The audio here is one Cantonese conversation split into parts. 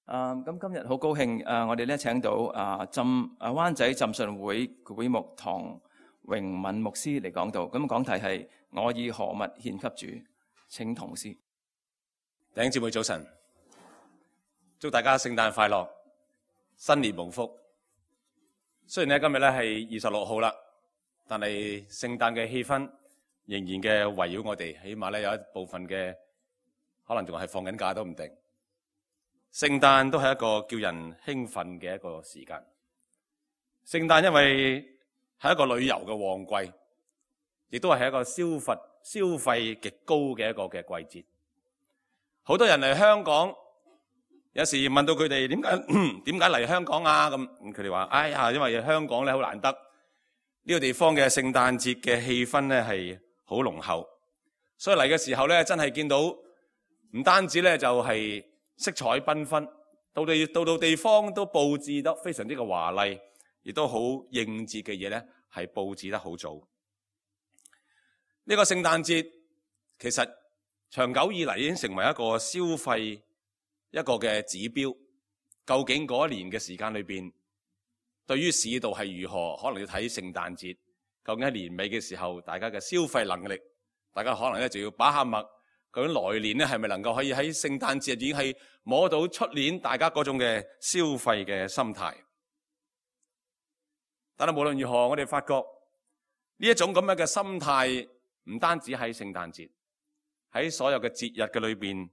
咁今日好高興我哋咧請到灣仔浸信會會牧唐榮敏牧師嚟講道。咁講題係我以何物獻給主，請同師。弟兄姊妹早晨，祝大家聖誕快樂，新年蒙福。雖然咧今日咧係26號啦，但係聖誕嘅氣氛仍然嘅圍繞我哋，起碼咧有一部分嘅可能仲係放緊假都唔定。聖誕都係一個叫人興奮嘅一個時間。聖誕因為係一個旅遊嘅旺季，亦都係一個消費極高嘅一個嘅季節。好多人嚟香港，有時問到佢哋點解嚟香港啊？咁佢哋話：哎呀，因為香港咧好難得，呢個地方嘅聖誕節嘅氣氛咧係好濃厚，所以嚟嘅時候咧真係見到唔單止咧就係色彩繽紛，到地方都佈置得非常之嘅華麗，亦都好應節嘅嘢咧係佈置得好早。呢個聖誕節其實長久以嚟已經成為一個消費一個嘅指標。究竟嗰一年嘅時間裏邊，對於市道係如何，可能要睇聖誕節。究竟喺年尾嘅時候，大家嘅消費能力，大家可能咧就要把下脈。究竟來年咧係咪能夠可以喺聖誕節已經係摸到出年大家嗰種嘅消費嘅心態？但係無論如何，我哋發覺呢一種咁樣嘅心態，唔單止喺聖誕節，喺所有嘅節日嘅裏邊，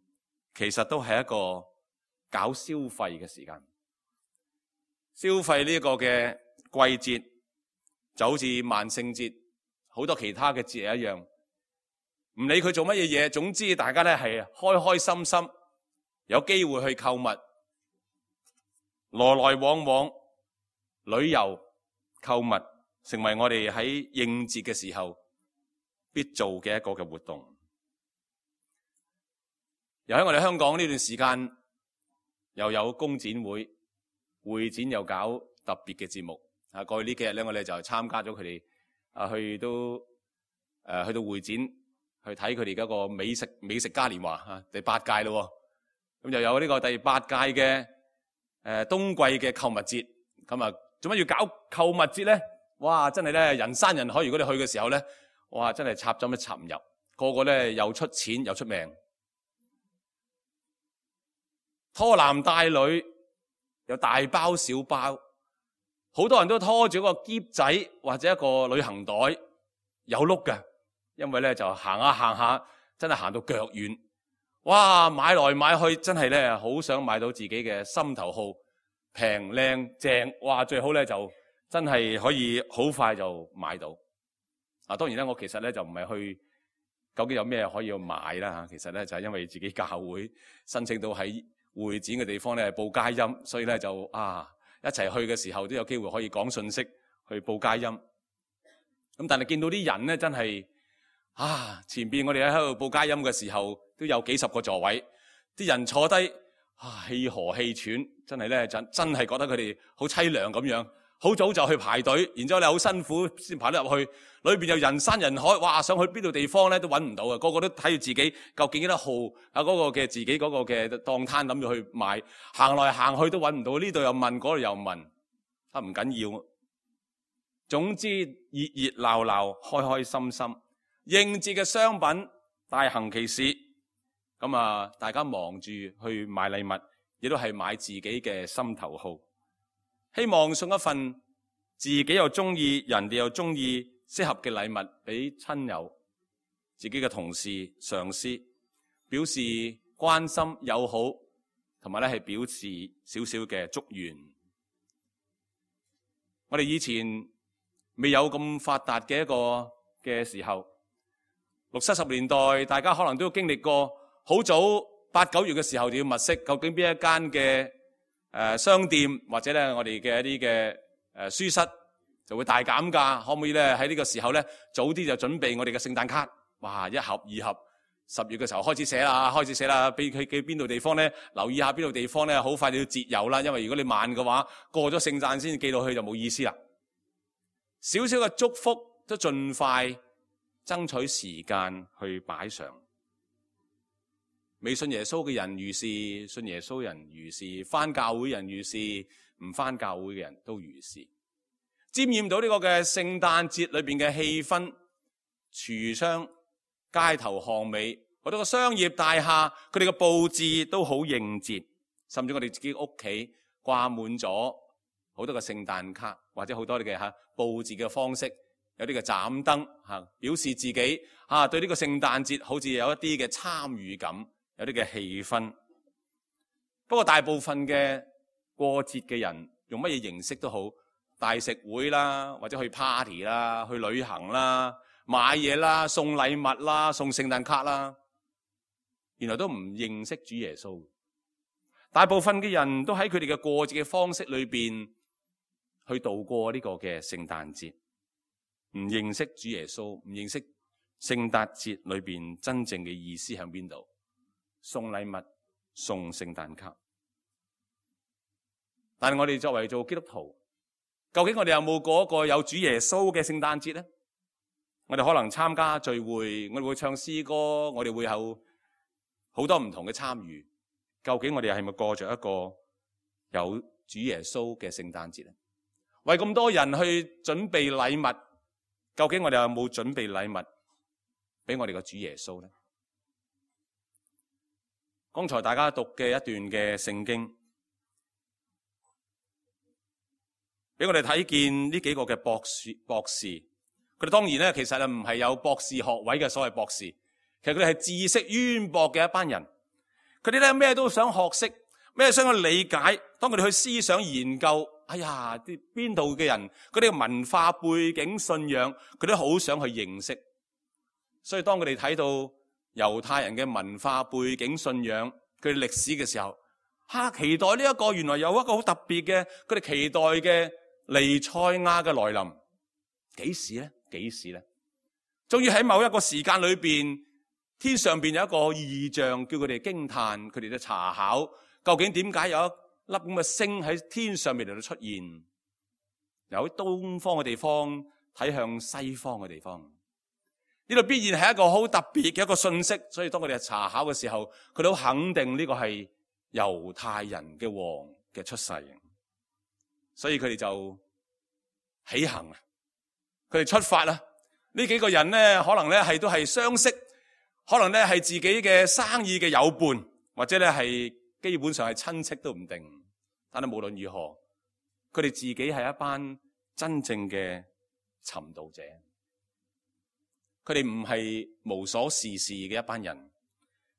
其實都係一個搞消費嘅時間。消費呢一個嘅季節，就好似萬聖節，好多其他嘅節日一樣。唔理佢做乜嘢嘢，總之大家咧係開開心心，有機會去購物，來來往往旅遊購物，成為我哋喺應節嘅時候必做嘅一個嘅活動。又喺我哋香港呢段時間，又有工展會，會展又搞特別嘅節目。過去呢幾日咧，我哋就參加咗佢哋去到會展。去睇佢哋嗰個美食嘉年華第8屆咯，咁又有呢個第8屆嘅冬季嘅購物節。咁啊，做乜要搞購物節咧？哇，真係咧人山人海。如果你去嘅時候咧，哇，真係插針一插唔入，個個咧又出錢又出命，拖男帶女又大包小包，好多人都拖住個篋仔或者一個旅行袋，有碌嘅。因為咧就行下行下，真係行到腳軟。哇，買來買去，真係咧好想買到自己嘅心頭好，平靚正。哇，最好咧就真係可以好快就買到。當然咧，我其實咧就唔係去究竟有咩可以買啦。其實咧就係因為自己教會申請到喺會展嘅地方咧報佳音，所以咧就一齊去嘅時候都有機會可以講信息去報佳音。咁但係見到啲人咧真係前邊我哋喺度報佳音嘅時候都有幾十個座位，啲人坐低氣何氣喘，真係咧真係覺得佢哋好淒涼咁樣。好早就去排隊，然之後咧好辛苦先排得入去，裏邊又人山人海。哇，想去邊度地方咧都揾唔到啊！個個都睇住自己究竟幾多號嗰個嘅自己嗰個嘅檔攤諗住去買，行來行去都揾唔到，呢度又問，嗰度又問，唔緊要。總之熱熱鬧鬧，開開心心。應節嘅商品大行其事，咁大家忙住去買禮物，亦都係買自己嘅心頭好，希望送一份自己又中意、人哋又中意適合嘅禮物俾親友、自己嘅同事、上司，表示關心友好，同埋咧係表示少少嘅祝願。我哋以前未有咁發達嘅一個嘅時候，60、70年代，大家可能都經歷過好早8、9月嘅時候就要物色究竟邊一間嘅商店或者咧我哋嘅一啲嘅書室就會大減價，可唔可以咧喺呢個時候咧早啲就準備我哋嘅聖誕卡？哇，1盒2盒，10月嘅時候開始寫啦，俾佢去邊度地方咧，留意下邊度地方咧，好快就要節油啦，因為如果你慢嘅話，過咗聖誕先寄到去就冇意思啦。少少嘅祝福都盡快爭取時間去擺上。未信耶穌嘅人如是，信耶穌人如是，返教會人如是，唔返教會嘅人都如是。沾染到呢個嘅聖誕節裏邊嘅氣氛，櫥窗、街頭巷尾，好多個商業大廈，佢哋嘅佈置都好應節，甚至我哋自己屋企掛滿咗好多嘅聖誕卡，或者好多嘅佈置嘅方式，有啲嘅斬燈表示自己對呢個聖誕節好似有一啲嘅參與感，有啲嘅氣氛。不過大部分嘅過節嘅人用乜嘢形式都好，大食會啦，或者去 party 啦，去旅行啦，買嘢啦，送禮物啦，送聖誕卡啦，原來都唔認識主耶穌。大部分嘅人都喺佢哋嘅過節嘅方式裏邊去度過呢個嘅聖誕節，唔認識主耶穌，唔認識聖誕節裏邊真正嘅意思喺邊度，送禮物，送聖誕卡。但係我哋作為做基督徒，究竟我哋有冇過一個有主耶穌嘅聖誕節呢？我哋可能參加聚會，我哋會唱詩歌，我哋會有好多唔同嘅參與。究竟我哋係咪過着一個有主耶穌嘅聖誕節呢？為咁多人去準備禮物，究竟我哋有冇準備禮物俾我哋嘅主耶穌呢？剛才大家讀嘅一段嘅聖經，俾我哋睇見呢幾個嘅博士，佢哋當然咧，其實唔係有博士學位嘅所謂博士，其實佢哋係知識淵博嘅一班人。佢哋咧咩都想學識，咩想去理解。當佢哋去思想研究，哎呀，啲邊度嘅人，佢哋嘅文化背景、信仰，佢都好想去認識。所以當佢哋睇到猶太人嘅文化背景、信仰，佢哋歷史嘅時候，期待呢一個原來有一個好特別嘅，佢哋期待嘅彌賽亞嘅來臨，幾時呢？幾時呢？終於喺某一個時間裏邊，天上邊有一個異象，叫佢哋驚嘆，佢哋都查考究竟點解有一粒咁嘅星喺天上面嚟到出現，由東方嘅地方睇向西方嘅地方，呢度必然係一個好特別嘅一個信息。所以當佢哋查考嘅時候，佢哋好肯定呢個係猶太人嘅王嘅出世，所以佢哋就起行啦，佢哋出發啦。呢幾個人呢，可能呢都係相識，可能呢係自己嘅生意嘅友伴，或者呢係基本上係親戚都唔定。但係無論如何，佢哋自己係一班真正嘅尋道者，佢哋唔係無所事事嘅一班人，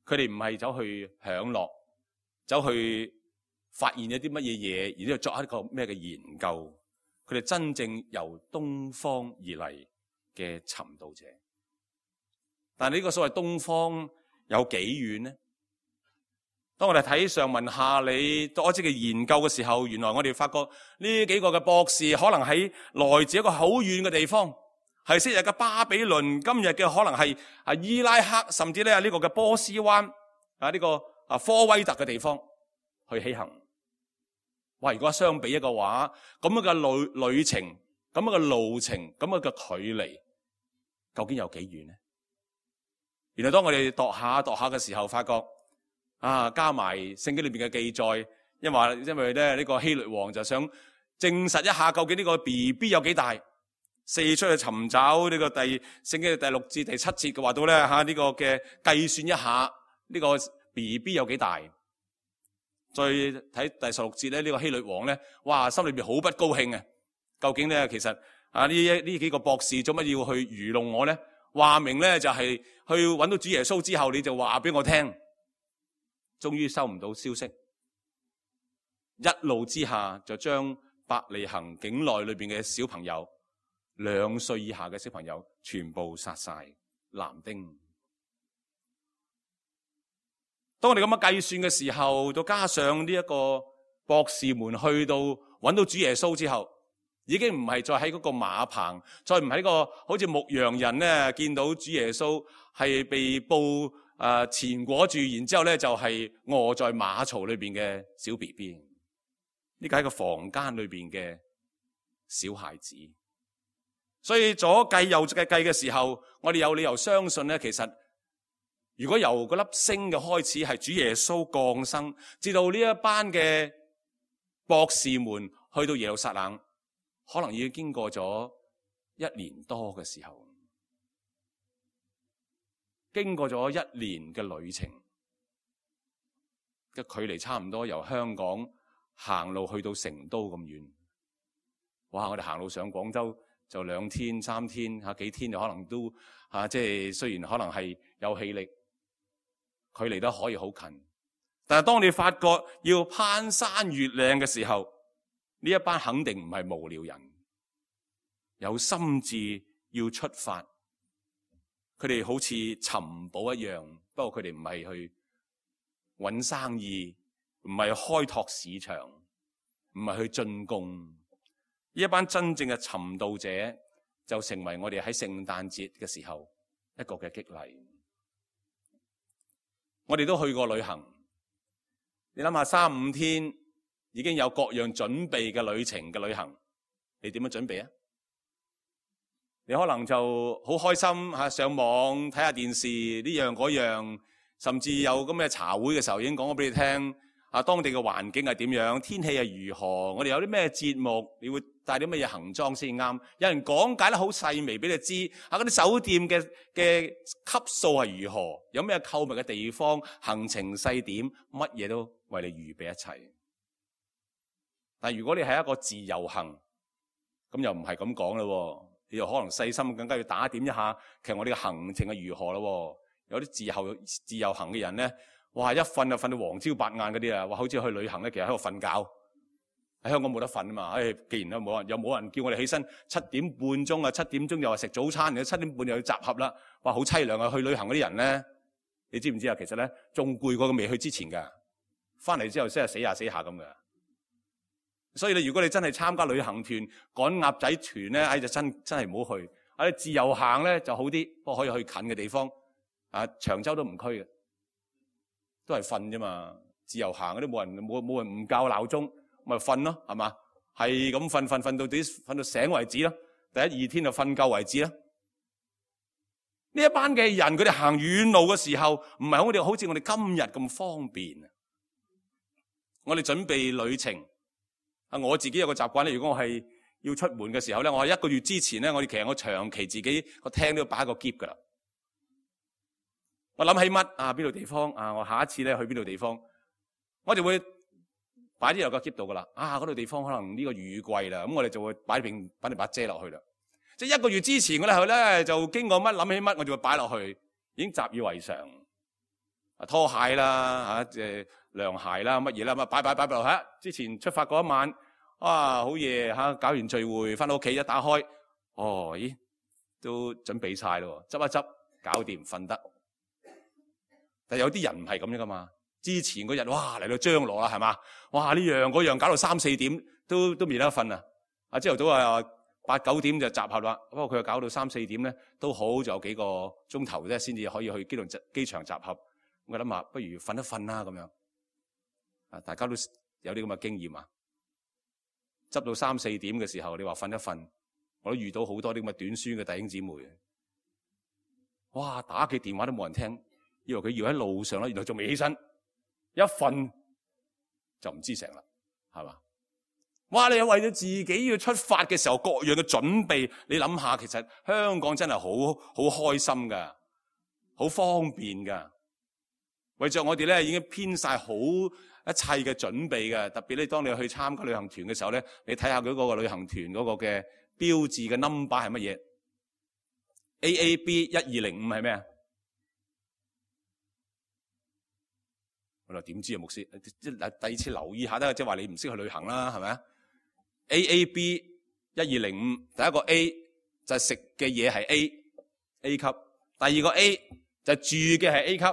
佢哋唔係走去享樂，走去發現一啲乜嘢嘢，然之後作一個咩嘅研究。佢哋真正由東方而嚟嘅尋道者。但係呢個所謂東方有幾遠呢？當我哋睇上文下理多一啲嘅研究嘅時候，原來我哋發覺呢幾個嘅博士可能喺來自一個好遠嘅地方，係昔日嘅巴比倫，今日嘅可能係伊拉克，甚至咧呢個嘅波斯灣呢個科威特嘅地方去起行。哇！如果相比一個話，咁樣嘅旅程，咁樣嘅路程，咁樣嘅距離，究竟有幾遠呢？原來當我哋度下嘅時候，發覺加埋聖經裏邊嘅記載，因為咧呢個希律王就想證實一下究竟呢個 BB 有幾大，四出去尋找呢個聖經嘅第6至第7節嘅話到咧呢個嘅計算一下呢個 BB 有幾大。再睇第16節咧，呢個希律王咧，哇，心裏邊好不高興啊！究竟咧，其實呢幾個博士做乜要去愚弄我咧？話明咧就係去揾到主耶穌之後，你就話俾我聽。終於收唔到消息，一怒之下就將伯利恆境內裏邊嘅小朋友，2歲以下嘅小朋友全部殺晒，男丁。當我哋咁樣計算嘅時候，再加上呢一個博士們去到揾到主耶穌之後，已經唔係再喺嗰個馬棚，再唔喺個好似牧羊人咧見到主耶穌係被布纏裹住，然之後咧就係臥在馬槽裏邊嘅小 BB。呢個喺個房間裏邊嘅小孩子。所以左計右計嘅時候，我哋有理由相信咧，其實如果由嗰粒星嘅開始係主耶穌降生，至到呢一班嘅博士們去到耶路撒冷，可能已經經過咗1年多嘅時候，經過咗1年嘅旅程嘅距離，差唔多由香港行路去到成都咁遠。哇！我哋行路上廣州就2天3天幾天就可能都即係雖然可能係有氣力，距離都可以好近。但係當你發覺要攀山越嶺嘅時候，呢一班肯定唔係無聊人，有心志要出發。佢哋好似尋寶一樣，不過佢哋唔係去搵生意，唔係開拓市場，唔係去進貢。呢一班真正嘅尋道者就成為我哋喺聖誕節嘅時候一個嘅激勵。我哋都去過旅行，你諗下3-5天已經有各樣準備嘅旅程嘅旅行，你點樣準備啊？你可能就好開心上網睇下電視呢樣嗰樣，甚至有咁嘅茶會嘅時候已經講咗俾你聽當地嘅環境係點樣，天氣係如何，我哋有啲咩節目，你會帶啲乜嘢行裝先啱。有人講解得好細微俾你知，嗰啲酒店嘅級數係如何，有咩購物嘅地方，行程細點，乜嘢都為你預備一切。但係如果你係一個自由行，咁又唔係咁講咯，你又可能細心更加要打點一下，其實我哋嘅行程係如何咯。有啲自由行嘅人咧，哇！一瞓就瞓到黃朝白晏嗰啲啊！哇！好似去旅行咧，其實喺度瞓覺。喺香港冇得瞓啊嘛！既然又冇人叫我哋起身7點半鐘啊，7點鐘又話食早餐，然後7點半又要集合啦。哇！好凄涼啊！去旅行嗰啲人咧，你知唔知啊？其實咧仲攰過佢未去之前㗎，翻嚟之後先係死下死下咁㗎。所以如果你真係參加旅行團、趕鴨仔團咧，就真係唔好去。你自由行咧就好啲，不過可以去近嘅地方。長洲都唔區嘅。都係瞓啫嘛，自由行嗰啲冇人唔校鬧鐘，咪瞓咯，係嘛？係咁瞓到醒為止咯。第1-2天就瞓夠為止啦。呢一班嘅人，佢哋行遠路嘅時候，唔係好似我哋今日咁方便。我哋準備旅程，我自己有個習慣咧，如果我係要出門嘅時候咧，我係1個月之前咧，其實我長期自己個廳都要擺個篋噶啦。我諗起乜邊度地方我下一次咧去邊度地方，我就會擺啲入個篋度噶啦。嗰度地方可能呢個雨季啦，咁我哋就會擺把遮落去啦。即係1個月之前我哋去咧，就經過乜諗起乜，我就會擺落去，已經習以為常。拖鞋啦涼鞋啦乜嘢啦，咁擺落去。之前出發嗰一晚，好夜搞完聚會翻到屋企一打開，咦都準備晒咯，執一執搞掂瞓得。但有啲人唔係咁樣噶嘛，之前嗰日嚟到張羅啦，係嘛？呢樣嗰樣搞到3-4點都未得瞓啊！朝頭早8-9點就集合啦，不過佢又搞到3-4點咧，都好，仲有幾個鐘頭啫，先至可以去機場集合。我諗下，不如瞓一瞓啦咁樣。大家都有啲咁嘅經驗啊！執到3-4點嘅時候，你話瞓一瞓，我都遇到好多啲咁嘅短宣嘅弟兄姊妹。打幾電話都冇人聽。以為佢要喺路上啦，原來仲未起身，一瞓就唔知成啦，係嘛？你為咗自己要出發嘅時候，各樣嘅準備，你諗下，其實香港真係好開心噶，好方便噶。為着我哋咧，已經編晒好一切嘅準備嘅。特別咧，當你去參加旅行團嘅時候咧，你睇下佢嗰個旅行團嗰個嘅標誌嘅 number 係乜嘢 ？AAB 1205係咩啊？我話點知啊，牧師？第二次留意下得，即係話你唔識去旅行啦，係咪啊 ？AAB 1205，第一個 A 就係食嘅嘢係 A 級，第二個 A 就係住嘅係 A 級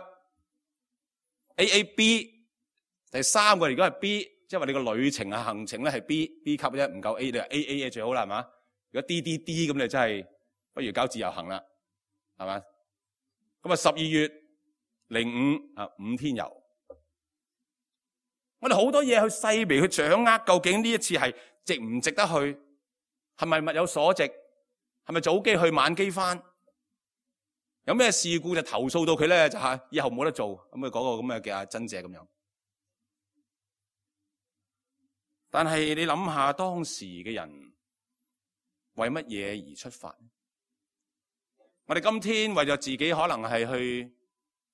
，AAB 第三個如果係 B， 即係話你個旅程啊行程咧係 B 級啫，唔夠 A 你話 AA 最好啦，係嘛？如果 D 咁你真係不如搞自由行啦，係嘛？咁12月05 5天遊。我哋好多嘢去細微去掌握，究竟呢一次係值唔值得去？係咪物有所值？係咪早機去晚機翻？有咩事故就投訴到佢咧，就係以後冇得做，咁佢嗰個咁嘅阿珍姐咁樣。但係你諗下當時嘅人為乜嘢而出發？我哋今天為咗自己可能係去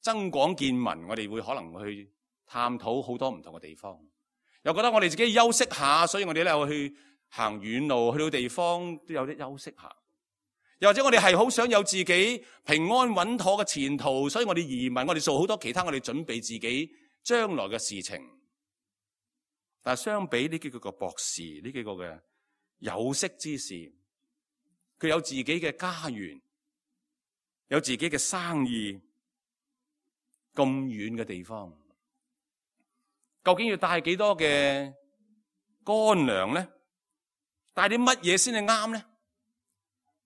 增廣見聞，我哋會可能去探討好多唔同嘅地方，又覺得我哋自己休息下，所以我哋咧去行遠路，去到地方都有啲休息下。又或者我哋係好想有自己平安穩妥嘅前途，所以我哋移民，我哋做好多其他我哋準備自己將來嘅事情。但係相比呢幾個博士，呢幾個嘅有識之士，佢有自己嘅家園，有自己嘅生意，咁遠嘅地方，究竟要帶幾多嘅乾糧咧？帶啲乜嘢先係啱咧？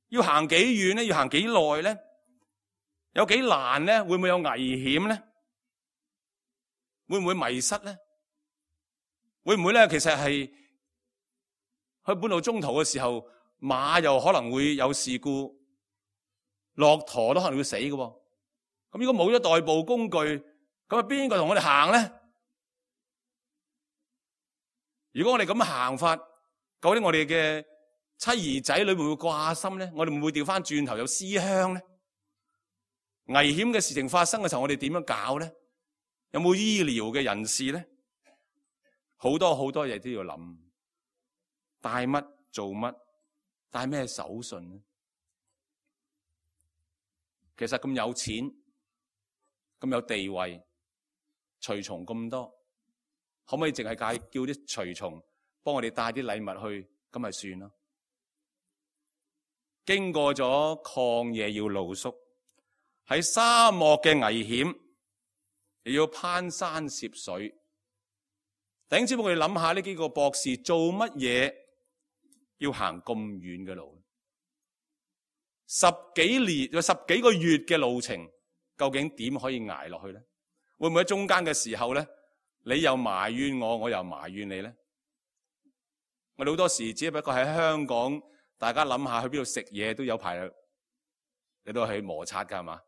要行幾遠咧？要行幾耐咧？有幾難咧？會唔會有危險咧？會唔會迷失咧？會唔會咧？其實係去半路中途嘅時候，馬又可能會有事故，駱駝都可能會死嘅。咁如果冇咗代步工具，咁啊邊個同我哋行咧？如果我哋咁行法，究竟我哋嘅妻兒仔女會唔會掛心咧？我哋會唔會調翻轉頭有思鄉咧？危險嘅事情發生嘅時候，我哋點樣搞咧？有冇醫療嘅人士咧？好多好多嘢都要諗，帶乜做乜，帶咩手信咧？其實咁有錢，咁有地位，隨從咁多，可唔可以淨係叫啲隨從幫我哋帶啲禮物去，咁咪算咯？經過咗曠野要露宿，喺沙漠嘅危險，又要攀山涉水。弟兄姊妹，我哋諗下呢幾個博士做乜嘢要行咁遠嘅路？十幾個月嘅路程，究竟點可以捱落去咧？會唔會喺中間嘅時候咧，你又埋怨我，我又埋怨你咧？我哋好多時只不過喺香港，大家諗下去邊度食嘢都有排，你都去摩擦噶係嘛？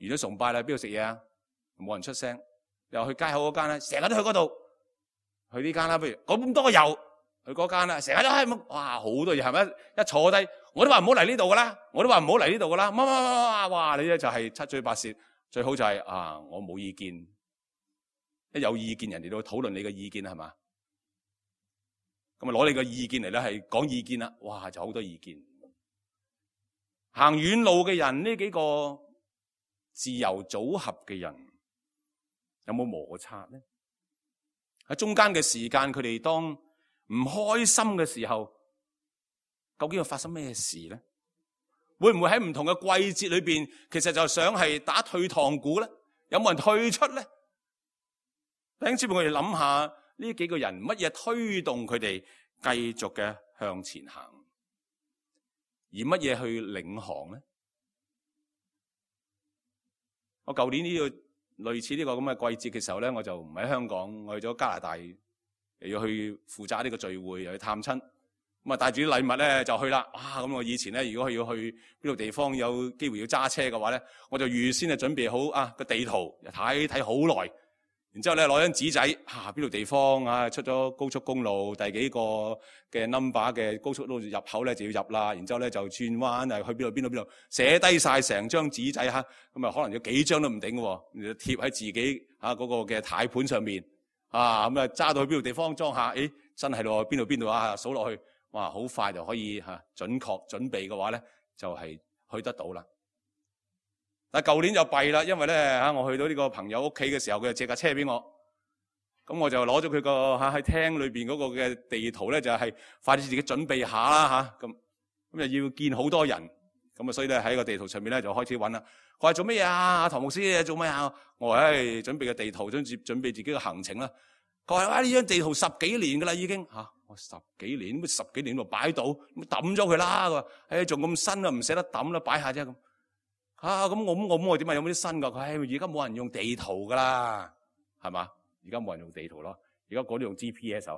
完咗崇拜啦，邊度食嘢啊？冇人出聲，又去街口嗰間咧，成日都去嗰度。去呢間啦，不如咁多油去嗰間啦，成日都係哇好多嘢係咪？一坐低，我都話唔好嚟呢度噶啦，我都話唔好嚟呢度噶啦，哇！你咧就係七嘴八舌，最好就係我冇意見，一有意見人哋都討論你嘅意見係嘛？咁啊攞你嘅意見嚟咧係講意見啦，哇就好多意見。行遠路嘅人，呢幾個自由組合嘅人有冇摩擦咧？喺中間嘅時間，佢哋當唔開心嘅時候，究竟要發生咩事咧？會唔會喺唔同嘅季節裏邊，其實就想係打退堂鼓咧？有冇人退出咧？弟兄姊妹，我哋諗下呢幾個人乜嘢推動佢哋繼續嘅向前行，而乜嘢去領航咧？我舊年呢個類似呢個咁嘅季節嘅時候咧，我就唔喺香港，我去咗加拿大，又要去負責呢個聚會，又去探親，咁啊帶住啲禮物咧就去啦。咁我以前咧，如果要去邊度地方有機會要揸車嘅話咧，我就預先準備好個地圖，睇好耐。然之後咧攞張紙仔，邊度地方出咗高速公路第幾個嘅 number 嘅高速路入口咧就要入啦。然之後咧就轉彎去邊度，寫低晒成張紙仔咁啊可能有幾張都唔頂嘅，貼喺自己嗰個嘅軚盤上面咁揸到去邊度地方裝下，真係咯邊度數落去，哇好快就可以準確準備嘅話咧就係去得到啦。但係舊年就弊啦，因為咧我去到呢個朋友屋企嘅時候，佢就借架車俾我，咁我就攞咗佢個喺廳裏邊嗰個嘅地圖咧，就係快啲自己準備下啦咁又要見好多人，咁所以咧喺個地圖上面咧就開始揾啦。佢話做咩啊？唐牧師做咩啊？我話準備個地圖，準備自己嘅行程啦。佢話呢張地圖10幾年噶啦已經我10幾年，咁10幾年就擺到，咁抌咗佢啦。佢話仲咁新啊，唔捨得抌啦，擺下啫咁。咁我點解有冇啲新噶？佢而家冇人用地圖噶啦，係嘛？而家冇人用地圖咯，而家嗰啲用 GPS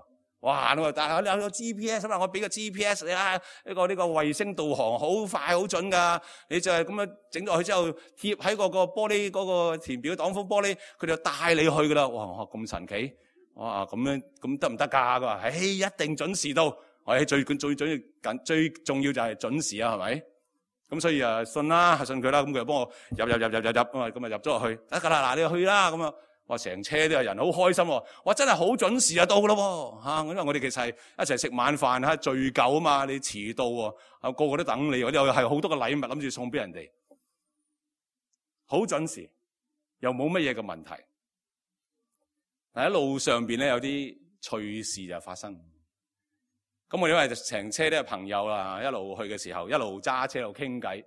哇！我話但係有 GPS 嘛，我俾個 GPS 你啦，呢個衛星導航好快好準㗎。你就係咁樣整落去之後，貼喺個玻璃嗰個填表擋風玻璃，佢就帶你去㗎啦。哇！咁神奇！哇！咁樣咁得唔得㗎？佢話：一定準時到。最重要就係準時啊，係咪？咁所以信啦，信佢啦。咁佢就幫我入咁啊入咗落去得㗎啦。嗱，你就去啦咁啊。哇！成車都有人，好開心喎！哇！真係好準時啊，到㗎咯喎！因為我哋其實係一齊食晚飯嚇，聚舊啊嘛，你遲到喎，個個都等你，我哋又係好多個禮物諗住送俾人哋，好準時，又冇乜嘢嘅問題。但喺路上邊咧有啲趣事就發生。咁我哋因為成車都係朋友啦，一路去嘅時候，一路揸車一路傾偈。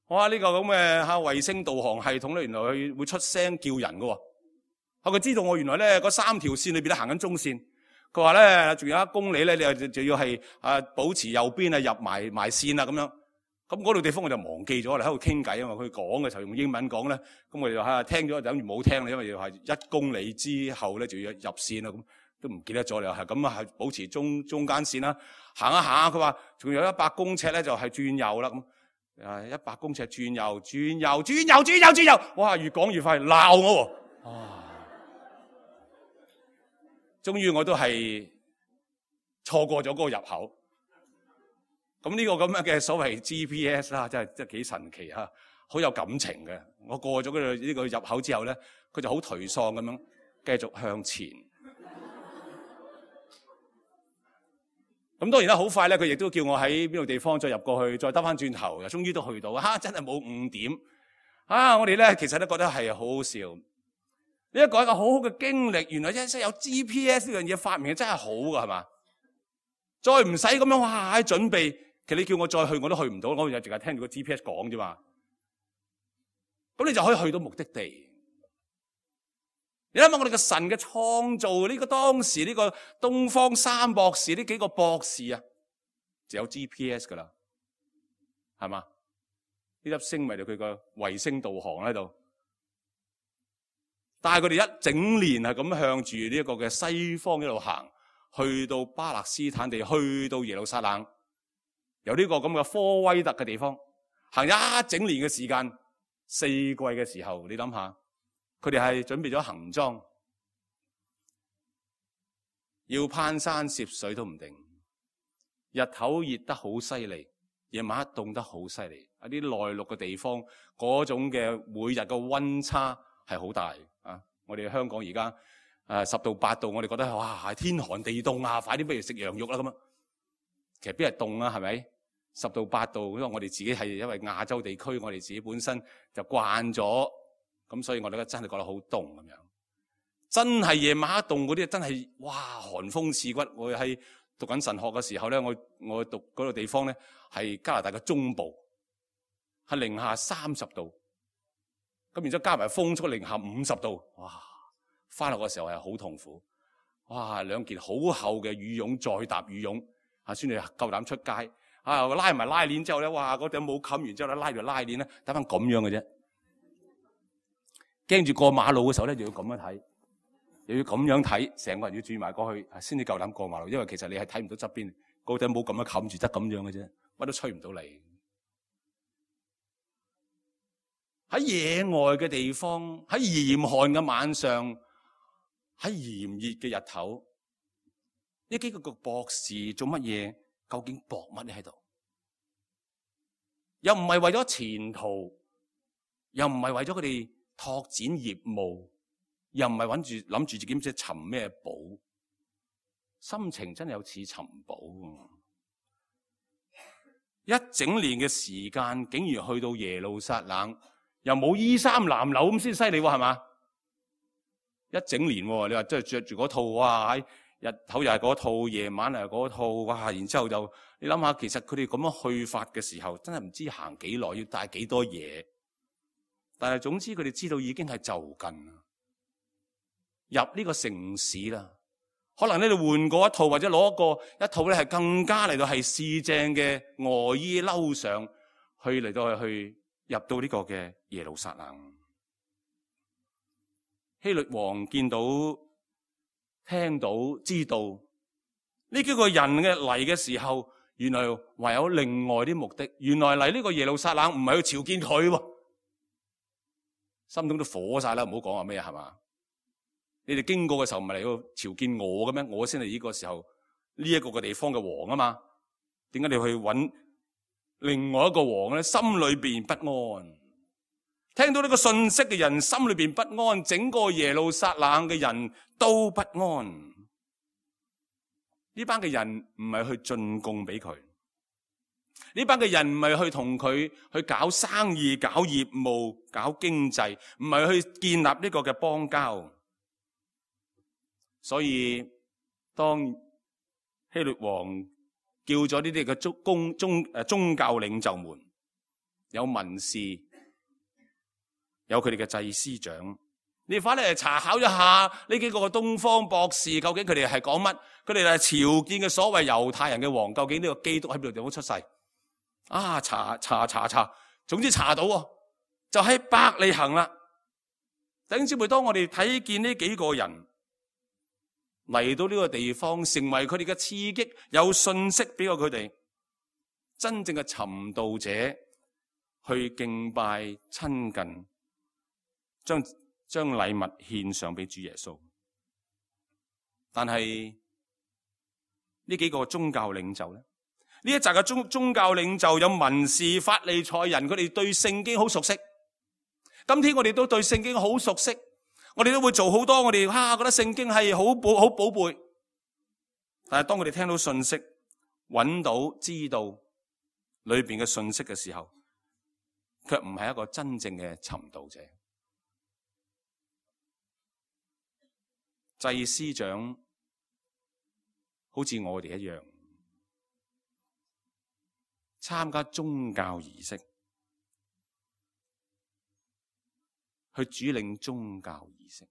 哇！呢個咁嘅衛星導航系統咧，原來佢會出聲叫人㗎喎。佢知道我原來咧嗰3條線裏邊咧行緊中線，佢話咧仲有1公里咧，你就要係保持右邊入埋線啦咁樣。咁嗰度地方我就忘記咗啦，喺度傾偈啊嘛。佢講嘅時候用英文講咧，咁我哋就聽咗就等於冇聽啦，因為要係1公里之後咧就要入線啦，咁都唔記得咗啦。係咁係保持中間線啦。行一行，佢話仲有100公尺咧就係轉右啦咁。100公尺轉右，哇！越講越快，鬧我喎。終於我都係錯過咗嗰個入口。咁呢個咁樣嘅所謂 GPS 啦，真係幾神奇嚇，好有感情嘅。我過咗呢個入口之後咧，佢就好頹喪咁樣繼續向前。咁當然啦，好快咧，佢亦都叫我喺邊度地方再入過去，再兜翻轉頭，又終於都去到。真係冇誤點。我哋咧其實都覺得係好好笑。呢一個係一個好好嘅經歷，原來真係有 GPS 呢樣嘢發明真係好㗎，係嘛？再唔使咁樣哇喺準備，其實你叫我再去我都去唔到，我淨係聽住個 GPS 講啫嘛。咁你就可以去到目的地。你諗下我哋嘅神嘅創造，呢個當時呢個東方三博士呢幾個博士啊，就有 GPS 噶啦，係嘛？呢粒星咪就佢個衛星導航喺度。但係佢哋一整年係咁向住呢一個嘅西方一路行，去到巴勒斯坦地，去到耶路撒冷，由呢個咁嘅科威特嘅地方行一整年嘅時間，4季嘅時候，你諗下，佢哋係準備咗行裝，要攀山涉水都唔定，日頭熱得好犀利，夜晚黑凍得好犀利，一啲內陸嘅地方嗰種嘅每日嘅溫差係好大。我哋香港而家10到8度，我哋覺得哇天寒地凍啊，快啲不如食羊肉啦咁啊！其實邊係凍啊，係咪？10到8度，因為我哋自己係因為亞洲地區，我哋自己本身就慣咗，咁所以我哋真係覺得好凍咁樣。真係夜晚黑凍嗰啲，真係哇寒風刺骨。我喺讀緊神學嘅時候咧，我讀嗰個地方咧係加拿大嘅中部，係零下30度。咁然之後加埋風速零下50度，哇！翻學嘅時候係好痛苦，哇！2件好厚嘅羽絨再搭羽絨，先至夠膽出街。拉埋拉鏈之後咧，哇！嗰頂帽冚完之後咧，拉住拉鏈咧，得翻咁樣嘅啫。驚住過馬路嘅時候咧，就要咁樣睇，又要咁樣睇，成個人要轉埋過去，先至夠膽過馬路。因為其實你係睇唔到側邊，嗰頂帽咁樣冚住得咁樣嘅啫，乜都吹唔到你。喺野外嘅地方，喺嚴寒嘅晚上，喺炎熱嘅日頭，呢幾個博士做乜嘢？究竟搏乜嘢喺度？又唔係為咗前途，又唔係為咗佢哋拓展業務，又唔係諗住自己唔知尋咩寶，心情真係有似尋寶。一整年嘅時間，竟然去到耶路撒冷。又冇衣衫襤褸咁先犀利喎，係嘛？一整年喎，你話真係着住嗰套，哇！喺日頭又係嗰套，夜晚又係嗰套，哇！然之後就你諗下，其實佢哋咁樣去法嘅時候，真係唔知行幾耐，要帶幾多嘢。但係總之佢哋知道已經係就近啦，入呢個城市啦。可能呢度換過一套，或者攞一套咧係更加嚟到係試正嘅外衣褸上去嚟到去。入到呢個嘅耶路撒冷，希律王見到、聽到、知道，呢幾個人嘅嚟嘅時候，原來還有另外啲目的。原來嚟呢個耶路撒冷唔係去朝見佢喎，心中都火晒啦，唔好講話咩係嘛？你哋經過嘅時候唔係嚟到朝見我嘅咩？我先係呢個時候呢一個嘅地方嘅王啊嘛？點解你去揾另外一個王咧？心裏邊不安，聽到呢個信息嘅人心裏邊不安，整個耶路撒冷嘅人都不安。呢班嘅人唔係去進貢俾佢，呢班嘅人唔係去同佢去搞生意、搞業務、搞經濟，唔係去建立呢個嘅邦交。所以當希律王叫咗呢啲嘅宗教領袖們，有文士，有佢哋嘅祭司長，你翻嚟查考一下呢幾個嘅東方博士，究竟佢哋係講乜？佢哋係朝見嘅所謂猶太人嘅王，究竟呢個基督喺邊度地方出世？啊，查，總之查到就喺伯利恆啦。弟兄姊妹，當我哋睇見呢幾個人嚟到呢個地方，成為佢哋嘅刺激，有信息俾過佢哋，真正嘅尋道者去敬拜親近，將禮物獻上俾主耶穌。但係呢幾個宗教領袖咧，呢一紮嘅宗教領袖有文士、法利賽人，佢哋對聖經好熟悉。今天我哋都對聖經好熟悉，我哋都會做好多我哋覺得聖經係好寶貝。但係當佢哋聽到信息，揾到知道裏邊嘅信息嘅時候，卻唔係一個真正嘅尋道者。祭司長好似我哋一樣，參加宗教儀式，去主領宗教儀式。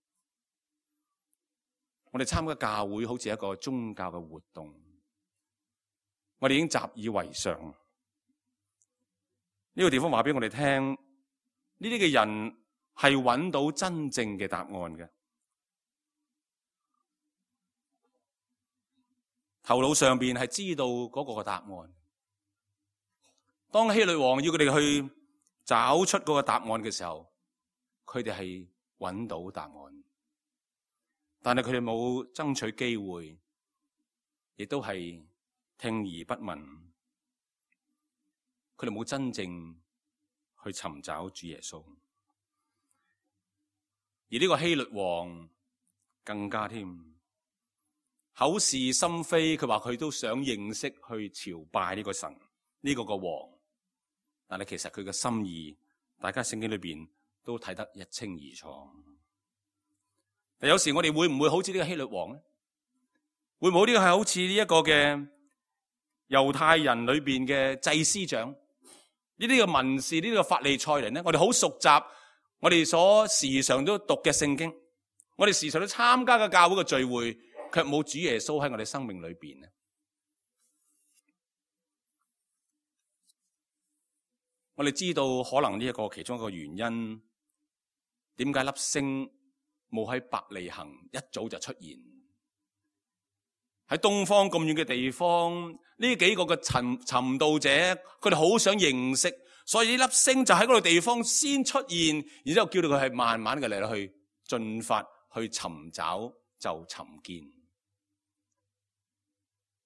我哋參加教會好似一個宗教嘅活動，我哋已經習以為常。呢個地方話俾我哋聽，呢啲嘅人係揾到真正嘅答案嘅。頭腦上邊係知道嗰個答案。當希律王要佢哋去找出嗰個答案嘅時候，佢哋係揾到答案，但係佢哋冇爭取機會，亦都係聽而不聞。佢哋冇真正去尋找主耶穌。而呢個希律王更加添。口是心非，佢話佢都想認識去朝拜呢個神，呢個王，但係其實佢嘅心意，大家聖經裏邊都睇得一清二楚。但有時我哋會唔會好似呢個希律王咧？會唔會呢個係好似呢一個嘅猶太人裏邊嘅祭司長，呢啲嘅文士，呢啲嘅法利賽人咧？我哋好熟習，我哋所時常都讀嘅聖經，我哋時常都參加嘅教會嘅聚會，卻冇主耶穌喺我哋生命裏邊。我哋知道可能呢一個其中一個原因，點解粒星冇喺伯利恆一早就出現？喺東方咁遠嘅地方，呢幾個嘅尋道者，佢哋好想認識，所以呢粒星就喺嗰個地方先出現，然之後叫到佢係慢慢嘅嚟到去進發，去尋找就尋見。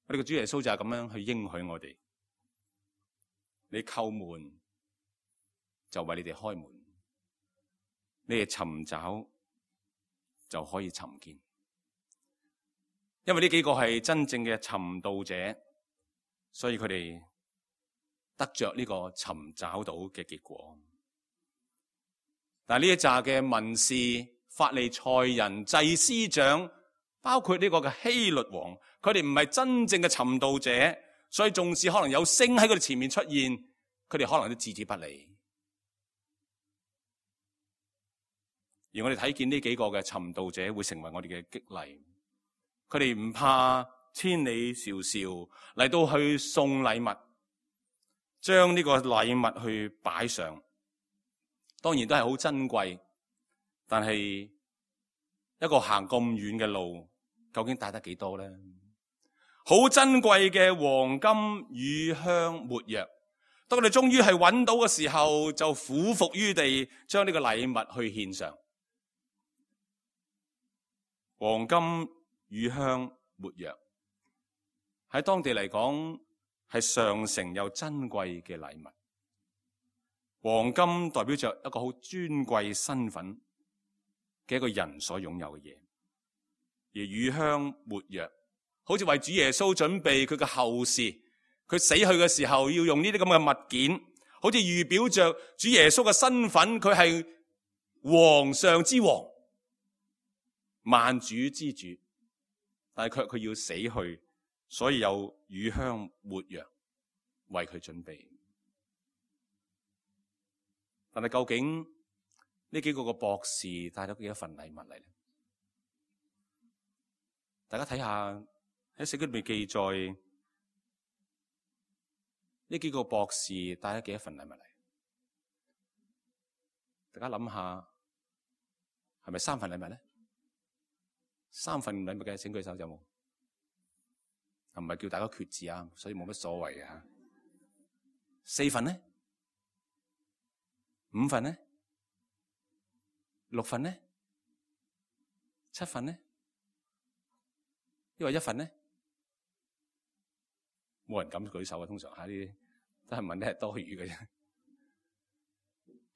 我哋嘅主耶穌就係咁樣去應許我哋，你叩門就為你哋開門，你哋尋找就可以尋見。因為呢幾個係真正嘅尋道者，所以佢哋得着呢個尋找到嘅結果。但係呢一紮嘅文士、法利賽人、祭司長，包括呢個嘅希律王，佢哋唔係真正嘅尋道者，所以縱使可能有星喺佢哋前面出現，佢哋可能都置之不理。而我哋睇見呢幾個嘅尋道者會成為我哋嘅激勵，佢哋唔怕千里迢迢嚟到去送禮物，將呢個禮物去擺上，當然都係好珍貴，但係一個行咁遠嘅路，究竟帶得幾多咧？好珍貴嘅黃金、乳香、沒藥。當佢哋終於係揾到嘅時候，就俯伏於地，將呢個禮物去獻上。黃金、乳香、沒藥，喺當地嚟講係上乘又珍貴嘅禮物。黃金代表着一個好尊貴身份嘅一個人所擁有嘅嘢，而乳香、沒藥，好似為主耶穌準備佢嘅後事，佢死去嘅時候要用呢啲咁嘅物件，好似預表着主耶穌嘅身份，佢係皇上之王、萬主之主，但係佢要死去，所以有乳香、沒藥為佢準備。但係究竟呢幾個博士帶咗幾多份禮物嚟咧？大家睇下喺聖經裏面記載，呢幾個博士帶咗幾多份禮物嚟？大家諗下，係咪3份禮物咧？3份禮物嘅請舉手，有冇？唔係叫大家決志啊，所以冇乜所謂嘅吓。4份呢？5份呢？6份呢？7份呢？因為1份呢？冇人敢舉手啊！通常呢啲都係問啲係多餘嘅啫。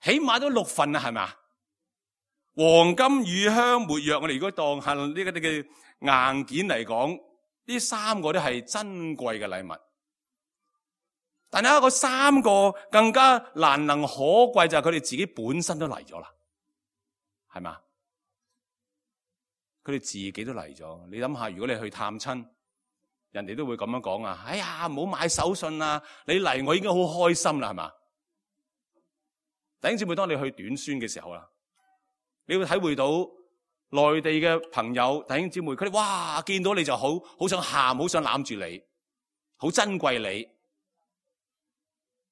起碼都6份啊，係咪啊？黃金、乳香、沒藥，我哋如果當係呢個嘅硬件嚟講，呢3個都係珍貴嘅禮物。但係嗰3個更加難能可貴，就係佢哋自己本身都嚟咗啦，係嘛？佢哋自己都嚟咗。你諗下，如果你去探親，人哋都會咁樣講啊！哎呀，唔好買手信啊！你嚟我已經好開心啦，係嘛？弟兄姊妹，當你去短宣嘅時候啦，你會體會到內地嘅朋友弟兄姊妹，佢哋哇見到你就好想喊，好想攬住你，好珍貴你。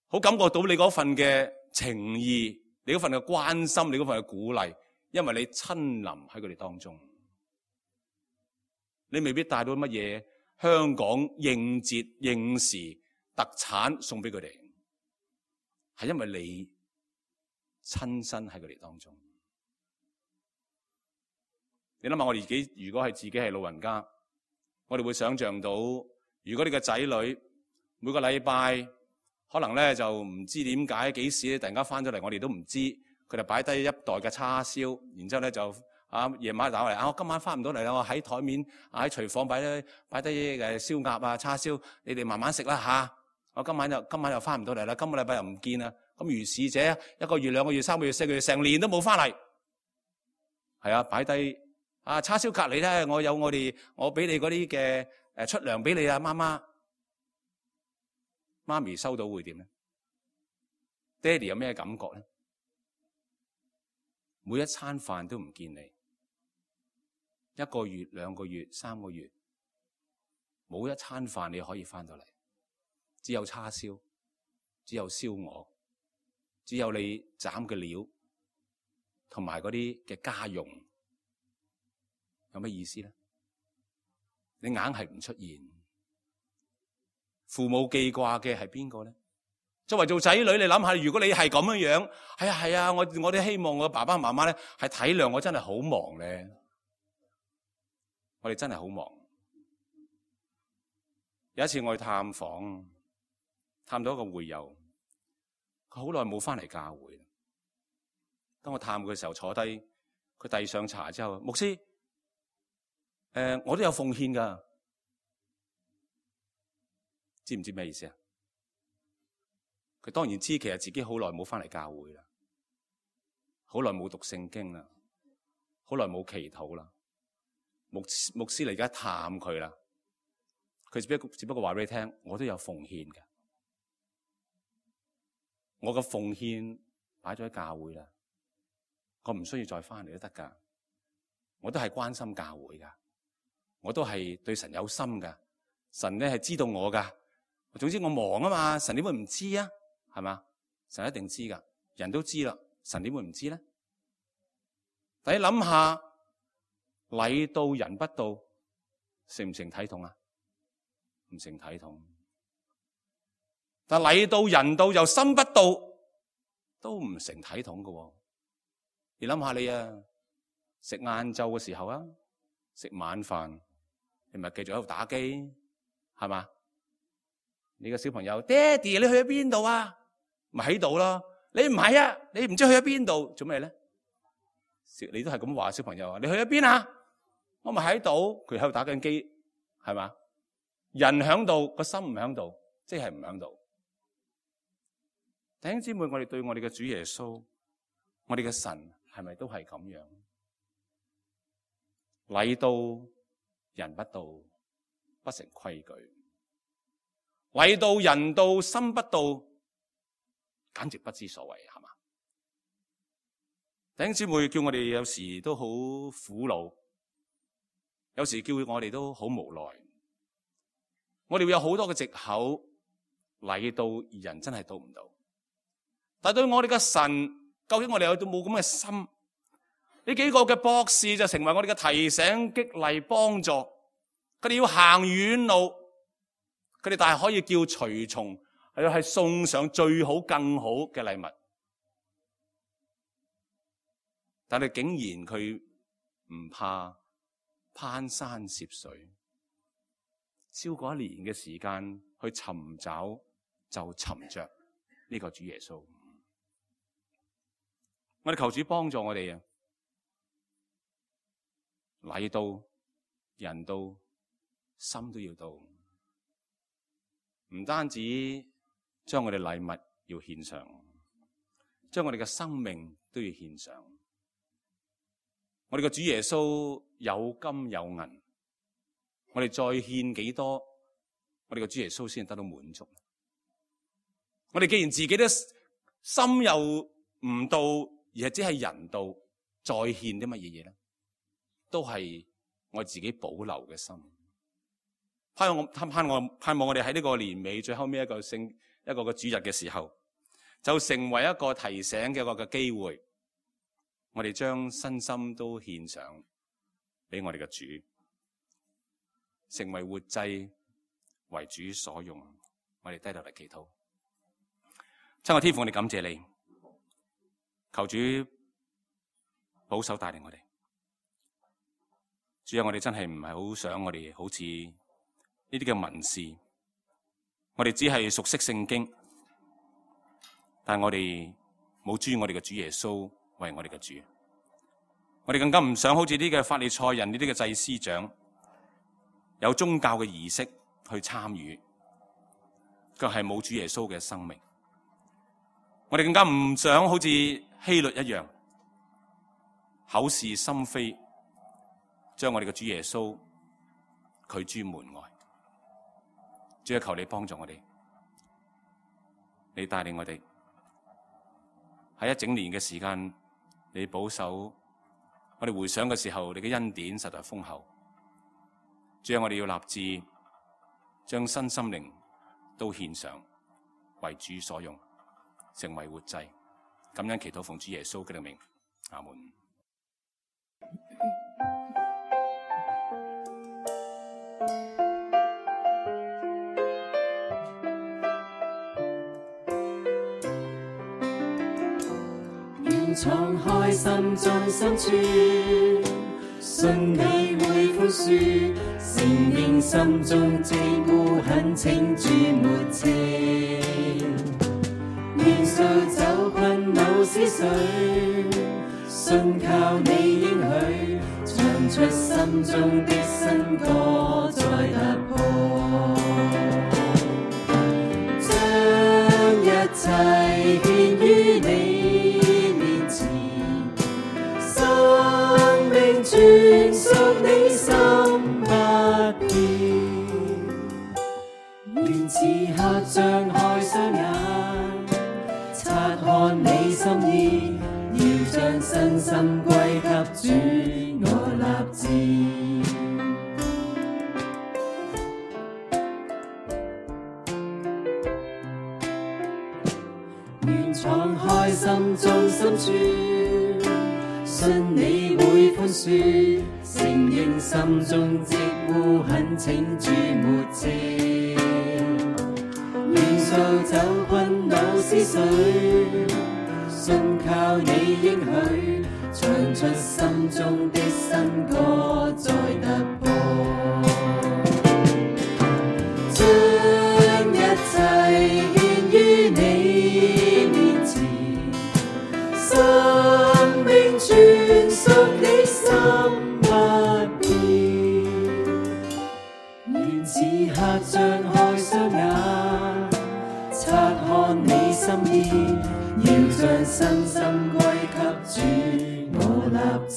好感覺到你嗰份嘅情意，你嗰份嘅關心，你嗰份嘅鼓勵，因為你親臨喺佢哋當中。你未必帶到乜嘢香港應節應時特產送俾佢哋，係因為你親身喺佢哋當中。你諗下，我哋自己如果係自己係老人家，我哋會想象到，如果你嘅仔女每個禮拜可能咧就唔知點解幾時咧突然間翻咗嚟，我哋都唔知。佢就擺低一袋嘅叉燒，然之後咧就夜晚打嚟，我今晚翻唔到嚟啦，我喺台面喺廚房擺低燒鴨啊叉燒，你哋慢慢食啦吓。我今晚又翻唔到嚟啦，今個禮拜又唔見啦。咁如是者1個月、2個月、3個月、4個月，成年都冇翻嚟。係啊，擺低叉燒隔離咧，我俾你嗰啲嘅出糧俾你啊，媽咪收到會點咧？爹哋有咩感覺咧？每一餐飯都唔見你，1個月、2個月、3個月，冇一餐飯你可以翻到嚟，只有叉燒，只有燒鵝，只有你斬嘅料，同埋嗰啲嘅家用，有咩意思咧？你硬係唔出現。父母記掛嘅係邊個咧？作為做仔女，你諗下，如果你係咁樣，係啊，我哋希望我爸爸媽媽咧係體諒我，真係好忙咧。我哋真係好忙。有一次我去探訪，探到一個會友，佢好耐冇翻嚟教會。當我探佢嘅時候，坐低，佢遞上茶之後，牧師，我都有奉獻噶。知唔知咩意思啊？佢當然知，其實自己好耐冇翻嚟教會啦，好耐冇讀聖經啦，好耐冇祈禱啦。牧師嚟而家探佢啦，佢只不過話俾你聽，我都有奉獻嘅，我嘅奉獻擺咗喺教會啦，我唔需要再翻嚟都得噶，我都係關心教會噶，我都係對神有心噶，神咧係知道我噶。總之我忙啊嘛，神點會唔知啊？係嘛？神一定知噶，人都知啦，神點會唔知咧？但你諗下，禮到人不到，成唔成體統啊？唔成體統。但禮到人到又心不到，都唔成體統嘅。你諗下你啊，食晏晝嘅時候啊，食晚飯，你咪繼續喺度打機，係嘛？你個小朋友，爹哋你去咗邊度啊？咪喺度咯。你唔係啊，你唔知去咗邊度，做咩咧？你都係咁話小朋友啊？你去咗邊啊？我咪喺度，佢喺度打緊機，係嘛？人喺度，個心唔喺度，即係唔喺度。弟兄姊妹，我哋對我哋嘅主耶穌，我哋嘅神係咪都係咁樣？禮到人不到，不成規矩；禮到人到，心不到，簡直不知所謂，係嘛？弟兄姊妹，叫我哋有時都好苦惱，有時叫我哋都好無奈。我哋會有好多嘅藉口，禮到而人真係到唔到。但係對我哋嘅神，究竟我哋有冇咁嘅心？呢幾個嘅博士就成為我哋嘅提醒、激勵、幫助。佢哋要行遠路，佢哋但係可以叫隨從，係送上最好、更好嘅禮物。但係竟然佢唔怕攀山涉水，超過1年嘅時間去尋找，就尋着呢個主耶穌。我哋求主幫助我哋啊！禮到人到，心都要到，唔單止將我哋禮物要獻上，將我哋嘅生命都要獻上。我哋嘅主耶穌有金有銀，我哋再獻幾多，我哋嘅主耶穌先得到滿足。我哋既然自己都心又唔到，而係只係人道，再獻啲乜嘢嘢咧？都係我自己保留嘅心。盼望我哋喺呢個年尾最後尾一個嘅主日嘅時候，就成為一個提醒嘅一個嘅機會。我哋將身心都獻上俾我哋嘅主，成為活祭，為主所用。我哋低頭嚟祈禱。親愛天父，我哋感謝你。求主保守帶領我哋，主啊，我哋真係唔係好想我哋好似呢啲嘅文士，我哋只係熟悉聖經，但係我哋冇尊我哋嘅主耶穌為我哋嘅主，我哋更加唔想好似呢啲嘅法利賽人呢啲嘅祭司長有宗教嘅儀式去參與，卻係冇主耶穌嘅生命。我哋更加唔想好似希律一樣口是心非，將我哋嘅主耶穌拒諸門外。主啊，求你幫助我哋，你帶領我哋喺一整年嘅時間，你保守我哋回想嘅時候，你嘅恩典實在豐厚。主啊，我哋要立志將身心靈都獻上，為主所用，成為活祭。感恩祈禱奉主耶穌嘅名，阿門。願敞開心中深處，信你會寬恕，承認心中寂寞懇請主沒情。願掃走困惱思緒，信靠你應許，唱出心中的新歌再突破，將一切獻於你面前，生命全屬你心不變。願此刻張開雙眼，察看你心意，要將身心歸給主，我立志。願敞開心中深處，信你會寬恕，承認心中寂寞懇請主沒情。水，信靠你應許，唱出心中的新歌再突破，將一切獻於你面前，生命全屬你心不變，願此刻張開雙眼，察看你心意，要將身心歸給主，我立志。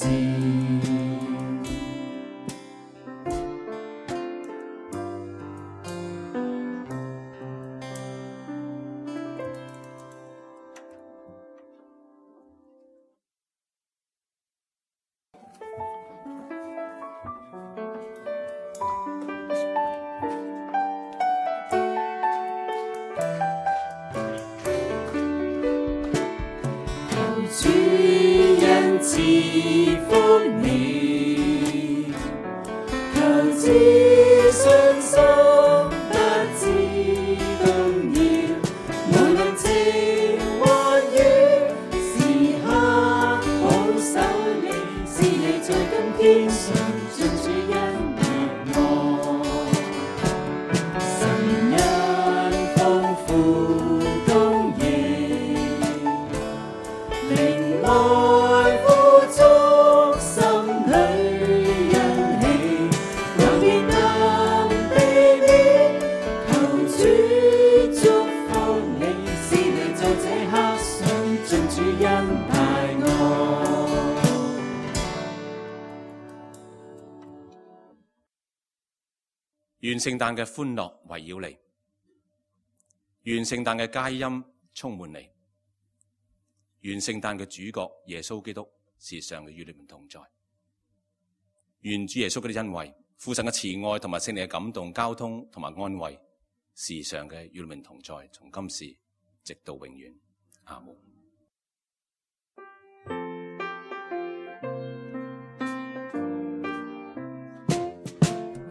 主恩賜福你，求知信心不致動搖，無論情或雨，時刻保守你，是你在今天上進主恩待我，神恩豐富供應，靈愛富足，心裏欣喜，橫掂能避免，求主祝福你，是你在這刻上進主恩待我。願聖誕嘅歡樂圍繞你，願聖誕嘅佳音充滿你，願聖誕嘅主角耶穌基督時常與你們同在，願主耶穌嗰啲恩惠、父神嘅慈愛同埋聖靈嘅感動、交通同埋安慰，時常嘅與你們同在，從今時直到永遠。阿門。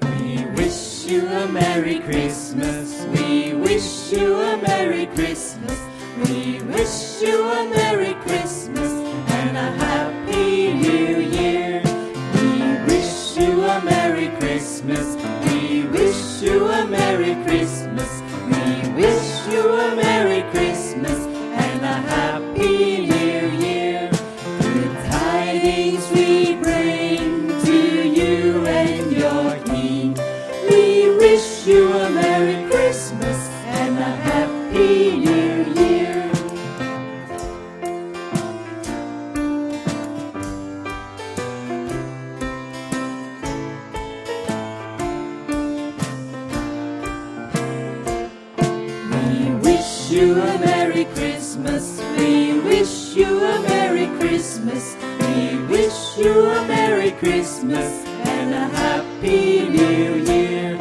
We wish you a Merry Christmas. We wish you a Merry Christmas. We wish you a Merry Christmas and a Happy New Year. We wish you a Merry Christmas. We wish you a Merry Christmas. We wish you a Merry Christmas and a Happy New Year. Good tidings we bring to you and your King. We wish you a Merry Christmas and a Happy New Year. We wish you a Merry Christmas. We wish you a Merry Christmas. We wish you a Merry Christmas and a Happy New Year.